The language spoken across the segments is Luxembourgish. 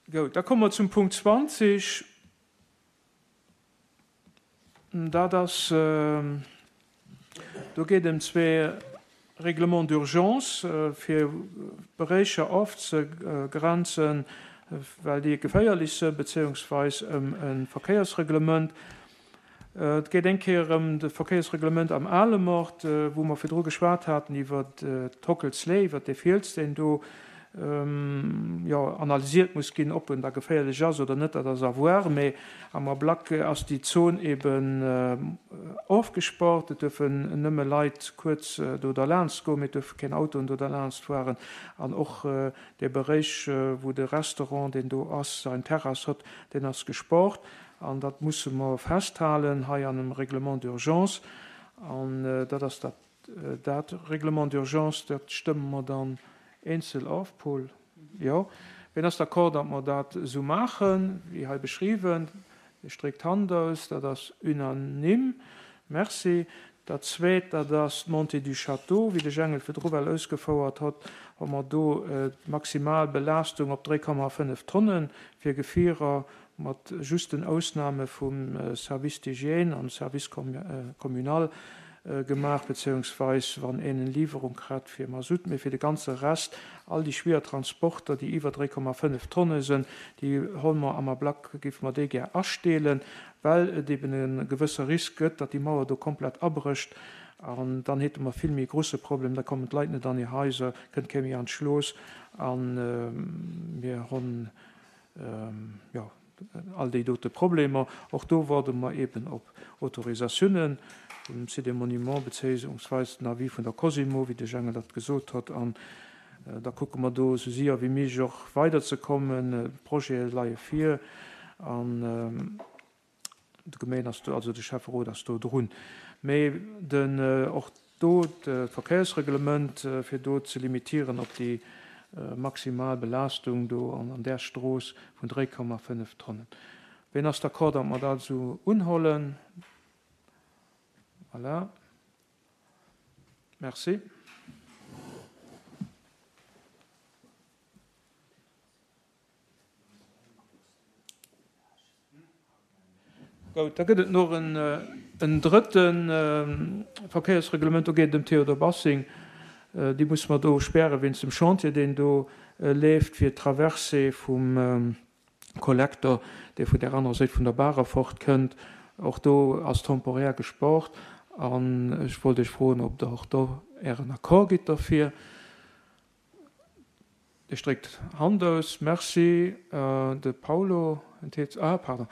Goud, da komme mer zum Punkt 20. Dat ass, do geet ëm zwee Règlements d'urgence, fir Beréicher ofzegrenzen, well déi geféierlech sënn, bezéiungsweis ëm e Verkéiersreglement. Et geet eng Kéier ëm de Verkéiersreglement am Alemort, wou mer virdru geschwat haten iwwer d'Hockelslee, iwwer dee Fiels, deen do jo analysiert muss ginn, ob en da geféierlech ass oder net, dat ass à voir. Mee am Ablack ass déi Zon eben ofgespaart. Et duerfen nëmme Leit kuerz do derlaanscht goen, mee et duerfe keng Autoen do derlaanscht fueren. An och dee Beréich, wou de Restaurant, deen do ass, sein Terrass huet, deen ass gespaart. An dat musse mer festhalen hei an em Règlement d'urgence. An dat ass dat Dat Règlement d'urgence, dat stëmme mer dann eenzel of. Paul? Jo. Wien ass d'accord, datt mer dat esou maachen, wéi hei beschriwwen? Dir stréckt d'Hand aus. Dat ass unanime. Merci. Dat Zweet, dat ass d'Montée du Château. Wéi de Jengel virdru well ausgefouert hott, hu mer do d'maximal Belaastung op 3,5 Tonnen fir Gefierer mat justen Ausnahme vum Service d'hygiène an Service communal gemaach, beziehungsweis wann een en Liwwerung krat fir Masutt, mee fir de ganze Rest, all déi schwier Transporter, déi iwwer 3,5 Tonne sënn, déi holl mer am Ablack, géife mer déi gär asteelen, well et eben e gewësse Risk gëtt, datt déi Mauer do komplett abrécht an dann hete mer vill méi e grusse Problem, da kommen d'Leit net an hir Haiser, kënnt kee méi an d'Schlooss a mir honn jo, all déi dote Problemer. Och do warde mer eeben op Autorisatiounen vum Site des Monuments bezéiungsweis den Avis vun der Cosimo, wéi de Jengel dat gesot hott. An da kucke mer do esou séier wéi méiglech och weiderzekommen. D'Projete leie vir an De Gemeen ass do, also de Schäfferot ass do drun. Mee den, och do d'Verkéiersreglement, fir do ze limitieren op déi maximal Belaastung do an där Strooss vun 3,5 Tonnen. Ween ass d'accord, datt mer dat esou unhollen? Voilà. Merci. Goud, da gëtt et nach en drëtte Verkéiersreglement, do geet et ëm Théodore Bassing. Déi musse mer do späre wéinst dem Chantier, deen do leeft, fir d'Traversée vum Kollektor, dee vun där anerer Séit vun der Baach erfort kënnt. Och do ass temporär gespart. An ech wollt Iech froen, ob Der och do Ären Accord gitt derfir. Dir stréckt d'Hand aus. Merci. De Paulo enthielt. Ah, pardon.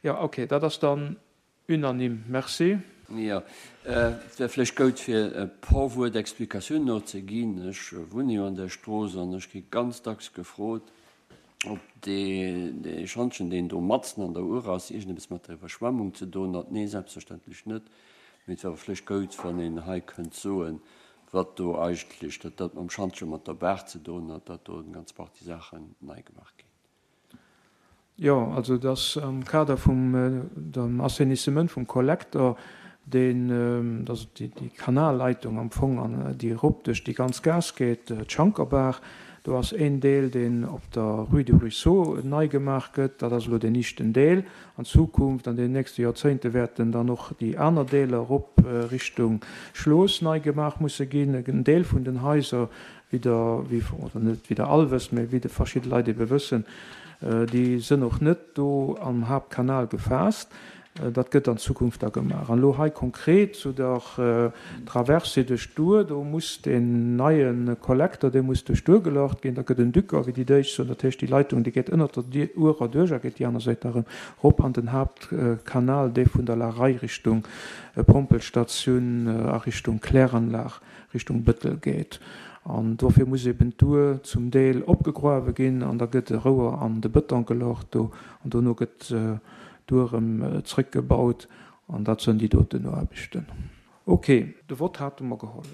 Jo, okay, dat ass dann unanime. Merci. Jo, et wär vläicht goud, fir e por Wuert Explikatioun no ze ginn. Ech wunne jo an där Strooss an ech gi ganz dacks gefrot, ob dee Schantjen, deen do matzen an der Our ass, iergendeppes mat der Iwwerschwemmung ze doen hat. Nee, selbstverständlech net. Mee et wär awer vläicht goud, wann een hei kënnt soen, wat do eigentlech, datt dat mam Schantje mat der Baach ze doen hat, datt do eng ganz Partie Saachen nei gemaach ginn. Jo, also et ass am Kader vum dem Assainissement vum Kollektor, deen, dat ass déi Kanalleitung am Fong, an déi erop duerch déi ganz Gaass geet, d'Schankerbaach, do ass een Deel, deen op der Rue du Ruisseau nei gemaach gëtt, dat ass elo deen ischten Deel. An Zukunft, an den nächste Joerzéngte wäerten dann och déi aner Deeler erop Richtung Schlooss nei gemaach musse ginn. En Deel vun den Haiser, wéi der, wéi, oder net wéi der all wësst, mä wéi de verschidde Leit ebe wëssen, déi sënn och net do am Haaptkanal gefaasst. Dat gëtt an Zukunft da gemaach. An elo hei konkret zu der Traversée duerch d'Our, do muss deen neie Kollekter, dee muss duerch d'Our gelocht ginn. Da gëtt en Dücker, wéi déi Däitsch soen. Dat heescht, déi Leitung, déi geet ënnert der Our erduerch a geet déi aner Säit da erëm erop an den Haaptkanal, dee vun der La Raye Richtung Pompelstatioun a Richtung Kläranlag, Richtung Bëttel geet. An dofir muss eben d'Our zum Deel opgegruawe ginn an da gëtt e Rouer an de Bëton gelocht do an dono gëtt Do erëm zrëckgebaut an dat sënn déi doten Aarbechten. Ok. De Vott hate mer geholl.